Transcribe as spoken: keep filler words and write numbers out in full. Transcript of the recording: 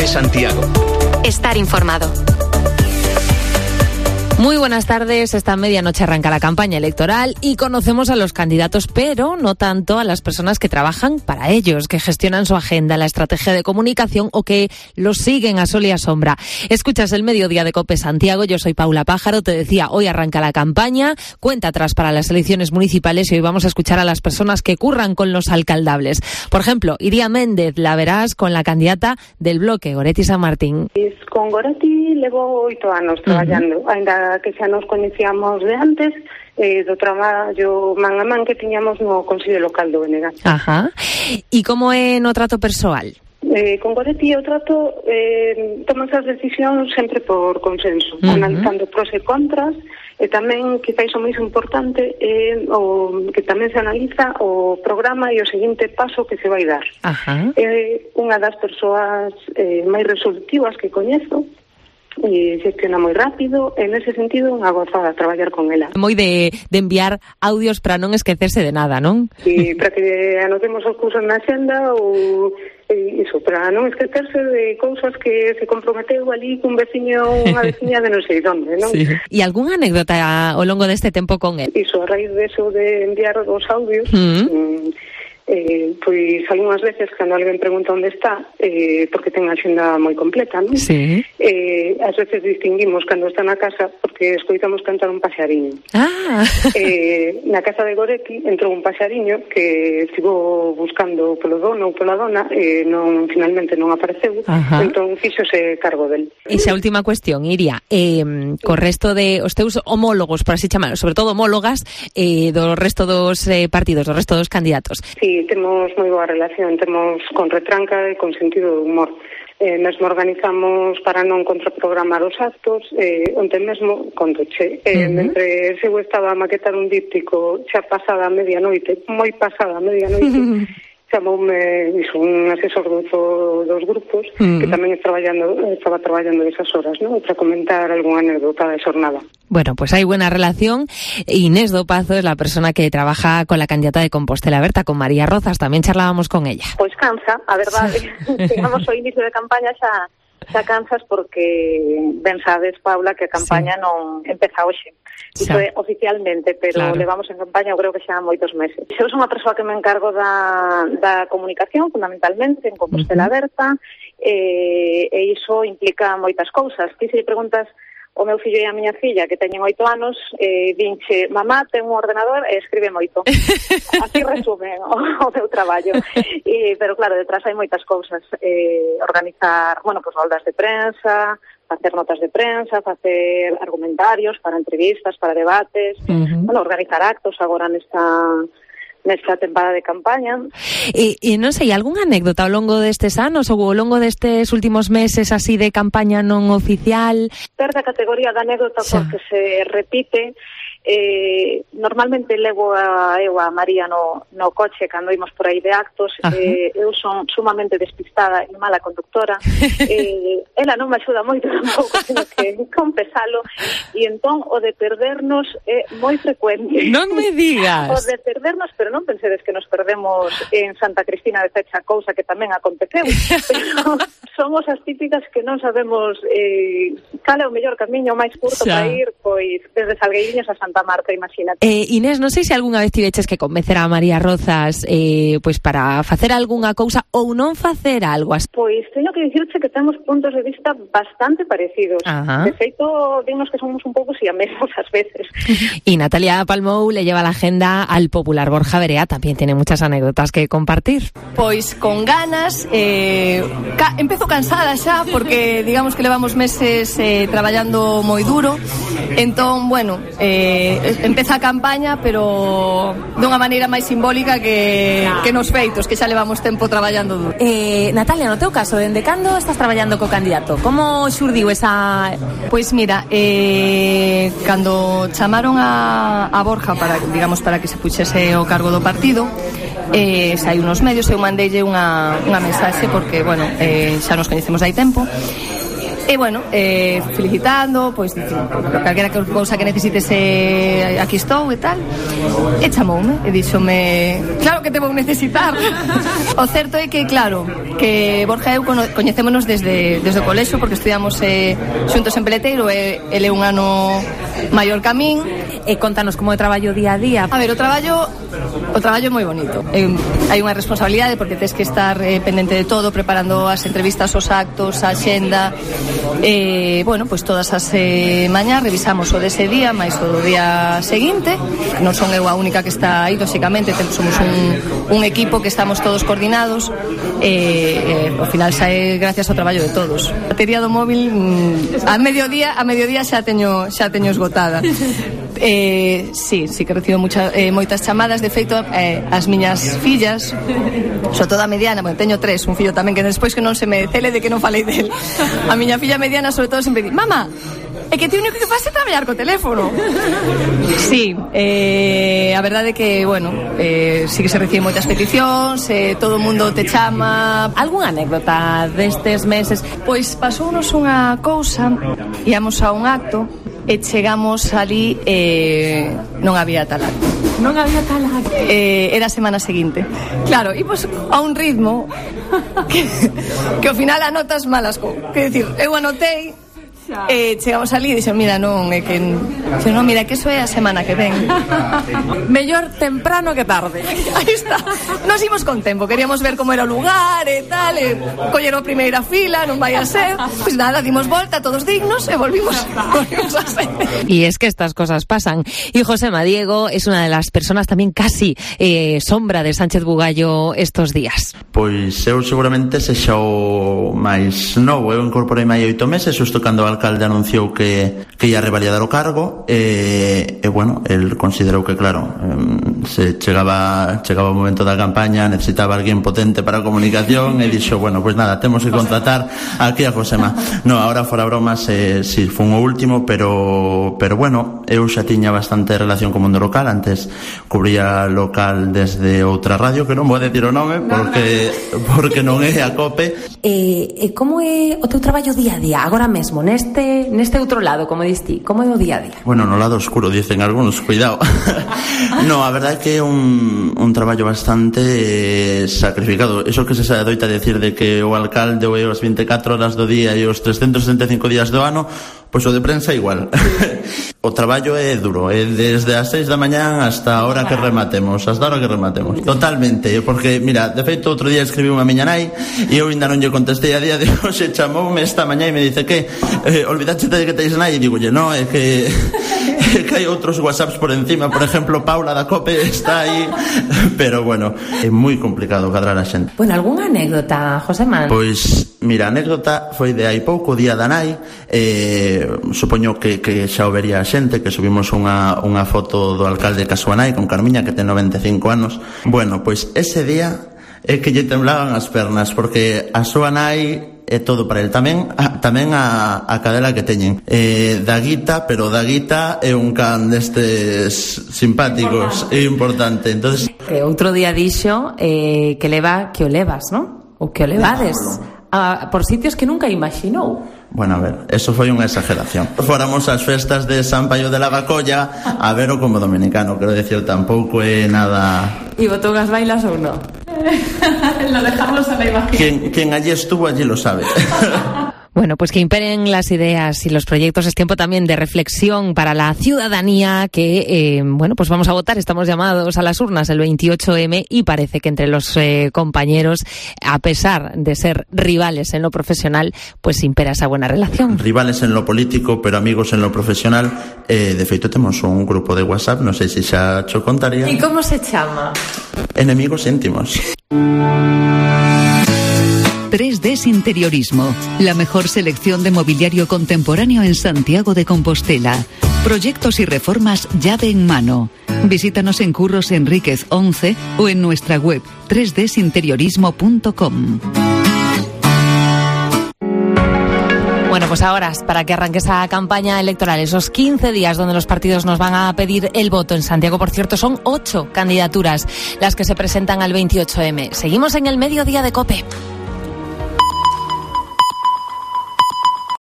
COPE Santiago. Estar informado. Muy buenas tardes. Esta medianoche arranca la campaña electoral y conocemos a los candidatos, pero no tanto a las personas que trabajan para ellos, que gestionan su agenda, la estrategia de comunicación o que los siguen a sol y a sombra. Escuchas el Mediodía de COPE Santiago. Yo soy Paula Pájaro. Te decía, hoy arranca la campaña, cuenta atrás para las elecciones municipales y hoy vamos a escuchar a las personas que curran con los alcaldables. Por ejemplo, Iria Méndez, la verás con la candidata del bloque, Goretti San Martín. Con Goretti levo oito anos traballando, uh-huh. ainda que xa nos coñecíamos de antes, eh, do traballo man a man que tiñamos no Consello Local do Benegas. Ajá. E como é no trato persoal? Eh, con Goretti o trato eh, tomas as decisións sempre por consenso, uh-huh. analizando pros e contras, e tamén, quizás o máis importante, é eh, o que tamén se analiza o programa e o seguinte paso que se vai dar. Uh-huh. É eh, unha das persoas eh, máis resolutivas que coñezo, e xestiona moi rápido, en ese sentido unha gozada traballar con ela. Moi de, de enviar audios para non esquecerse de nada, non? Sí, para que anotemos os cursos na xenda ou iso, para non esquecerse de cousas que se comprometeu ali cun veciño ou unha veciña de non sei onde, non? Sí. E algunha anécdota ao longo deste tempo con el? Iso, a raíz de eso de enviar os audios, mm. mm, Eh, pois algunhas veces cando alguén pregunta onde está, eh, porque ten a xenda moi completa, non? Sí. Eh, ás veces distinguimos cando está na casa porque escoitamos cantar un paxariño. Ah. Eh, na casa de Goretti entrou un paxariño que estivo buscando polo dono ou pola dona, e non, finalmente non apareceu. Ajá. Entón fíxose cargo del. E xa última cuestión, Iria, eh, co resto de os teus homólogos, por así chamar, sobre todo homólogas, eh, do resto dos eh, partidos, do resto dos candidatos. Sí, temos moi boa relación, temos con retranca e con sentido de humor. Eh, mesmo organizamos para non contraprogramar os actos, eh, onte mesmo, contoche, eh, uh-huh. mentre eu estaba a maquetar un díptico xa pasada a medianoite, moi pasada a medianoite, uh-huh. chamoume iso, un asesor do, dos grupos, uh-huh. que tamén estaba traballando, estaba traballando esas horas, ¿no? Para comentar algunha anécdota da xornada. Bueno, pues hay buena relación. Inés Dopazo es la persona que trabaja con la candidata de Compostela Aberta, con María Rozas. También charlábamos con ella. Pois cansa, a verdade. Digamos, o inicio de campaña xa, xa cansas porque ben sabes, Paula, que a campaña sí. non empeza hoxe. Iso é oficialmente, pero claro. levamos en campaña, eu creo que xa moitos meses. Eu sou unha persoa que me encargo da, da comunicación, fundamentalmente, en Compostela uh-huh. Aberta, e, e iso implica moitas cousas. Ti se lle preguntas o meu fillo e a miña filla, que teñen oito anos, eh, dinche, mamá, ten un ordenador e escribe moito. Así resume o, o meu traballo. E, pero claro, detrás hai moitas cousas. Eh, organizar, bueno, pues roldas de prensa, facer notas de prensa, facer argumentarios para entrevistas, para debates, uh-huh. bueno, organizar actos agora nesta... nesta temporada de campaña. E, e non sei, algunha anécdota ao longo destes anos ou ao longo destes últimos meses así de campaña non oficial? Perde a categoría da anécdota xa. Porque se repite. Eh, normalmente levo a eu a María no, no coche cando imos por aí de actos. eh, eu son sumamente despistada e mala conductora. eh, ela non me axuda moito tampouco, sino que confesalo, e entón o de perdernos é moi frecuente. Non me digas. O de perdernos, pero non pensedes que nos perdemos en Santa Cristina de Fecha, cousa que tamén aconteceu, pero somos as típicas que non sabemos eh, cal é o mellor camiño máis curto para ir, pois desde Salgueiriños a Santa Marta, imagínate. Eh, Inés, non sei se algunha vez tiveches que convencer a María Rozas eh, pois para facer algunha cousa ou non facer algo. Pois teño que dicirche que temos puntos de vista bastante parecidos. Ajá. De feito, digamos que somos un pouco siamesos ás veces. Y Natalia Palmou le lleva la agenda al popular Borja Verea, también tiene muchas anécdotas que compartir. Pois con ganas, eh, ca- empezo cansada xa porque digamos que levamos meses eh, traballando moi duro. Entón, bueno, eh, empeza a campaña, pero dunha maneira máis simbólica que, que nos feitos, que xa levamos tempo traballando duro. Eh, Natalia, no teu caso, dende cando estás traballando co candidato? Como xurdiu esa... Pois mira, eh, cando chamaron a, a Borja para, digamos, para que se puxese o cargo do partido, eh, xa hai unos medios, eu mandeille unha, unha mensaxe porque, bueno, eh, xa nos coñecemos hai tempo. E, bueno, eh, felicitando, pois, dicindo, calquera cousa que necesites, eh, aquí estou e tal. E chamoume, e díxome, claro que te vou necesitar. O certo é que, claro, que Borja e eu coñecémonos desde, desde o colexo, porque estudiamos eh, xuntos en Peleteiro, e ele é un ano maior que a min. E contanos como é o traballo día a día. A ver, o traballo o traballo é moi bonito. Eh, hai unha responsabilidade porque tes que estar eh, pendente de todo, preparando as entrevistas, os actos, a axenda. Eh, bueno, pois todas as eh, mañás revisamos o dese día, máis o do día seguinte. Non son eu a única que está aí, lóxicamente, somos un, un equipo que estamos todos coordinados. Eh, eh, ao final sae gracias ao traballo de todos. A batería do móvil mm, a mediodía, a mediodía xa teño xa teño esgotada. Eh, sí, sí que recibo mucha, eh, moitas chamadas. De feito, eh, as miñas fillas, sobre todo a mediana, bueno, teño tres, un fillo tamén que despois que non se me cele de que non falei del. A miña filla mediana sobre todo sempre di: "Mama, é que ti o único que faz é traballar co teléfono". Sí, eh, a verdade é que, bueno, eh, sí que se reciben moitas peticións, eh, todo o mundo te chama. Algúnha anécdota destes meses? Pois pasounos unha cousa, íamos a un acto e chegamos ali e eh, non había tal acto. Non había tal acto. Eh, era a semana seguinte. Claro, e pois a un ritmo que, que ao final anotas malas cousas. Quer dicir, eu anotei, eh, chegamos ali e dixen, mira, non, é que dixen, non, mira, que eso é a semana que ven. Mellor temprano que tarde. Aí está. Nos imos con tempo, queríamos ver como era o lugar e tal, e colleron a primeira fila, non vai a ser. Pois nada, dimos volta, todos dignos, e volvimos, volvimos a ser. Y es que estas cosas pasan. Y Josema Diego es una de las personas también casi eh, sombra de Sánchez Bugallo estos días. Pois eu seguramente sexa o máis novo. Eu incorporei máis oito meses, xusto cando o alcalde anunciou que, que ia revalidar o cargo, e, e bueno, el considerou que, claro, se chegaba chegaba o momento da campaña, necesitaba alguén potente para a comunicación, e dixo, bueno, pois nada, temos que contratar aquí a Josema. No, ahora fora bromas, eh, si fun o último, pero pero bueno, eu xa tiña bastante relación co mundo local. Antes cubría local desde outra radio, que non vou decir o nome, porque porque non é a COPE. Eh, como é o teu traballo día a día, agora mesmo, neste neste outro lado, como diste, como é o día a día? Bueno, no lado oscuro, dicen algunos, cuidado. No, a verdade é que é un, un traballo bastante eh, sacrificado. Eso que se sabe doita decir de que o alcalde o é as veinticuatro horas do día e os trescentos sesenta e cinco días do ano, pois o de prensa igual. O traballo é duro, é desde as seis da mañán hasta a hora que rematemos, hasta a hora que rematemos. Totalmente, porque, mira, de feito, outro día escribí unha miña nai e eu ainda non lle contestei a día de hoxe, chamoume esta mañá e me dice que eh, olvidaste de que teis nai, e digo, no, é que é que hai outros whatsapps por encima, por exemplo, Paula da COPE está aí, pero bueno, é moi complicado cadrar a xente. Bueno, algunha anécdota, Josema? Pois, mira, a anécdota foi de hai pouco, o día da nai, eh, supoño que, que xa o vería a xente, que subimos unha, unha foto do alcalde ca súa nai con Carmiña, que ten noventa e cinco anos. Bueno, pois ese día é que lle temblaban as pernas, porque a súa nai é todo para el. Tamén a, tamén a, a cadela que teñen eh, Daguita, pero Daguita é un can destes simpáticos e importante. Entonces, que outro día dixo eh, que leva que o levas, ¿no? Ou que o levades a, por sitios que nunca imaginou. Bueno, a ver, eso foi unha exageración. Fóramos ás festas de San Paio de la Bacolla a ver o como dominicano, quero decir, tampouco é nada... E botou as bailas ou non? Lo dejamos a la imagen. Quien, quien allí estuvo, allí lo sabe. Bueno, pues que imperen las ideas y los proyectos. Es tiempo también de reflexión para la ciudadanía que, eh, bueno, pues vamos a votar. Estamos llamados a las urnas el veintiocho eme y parece que entre los eh, compañeros, a pesar de ser rivales en lo profesional, pues impera esa buena relación. Rivales en lo político, pero amigos en lo profesional. Eh, de feito, temos un grupo de WhatsApp, non sei se xa cho contaría. ¿Y cómo se chama? Enemigos íntimos. tres D Interiorismo, la mejor selección de mobiliario contemporáneo en Santiago de Compostela. Proyectos y reformas llave en mano. Visítanos en Curros Enríquez once o en nuestra web tres d interiorismo punto com. Bueno, pues ahora, para que arranque esa campaña electoral, esos quince días donde los partidos nos van a pedir el voto en Santiago, por cierto, son ocho candidaturas las que se presentan al veintiocho eme. Seguimos en el mediodía de COPE.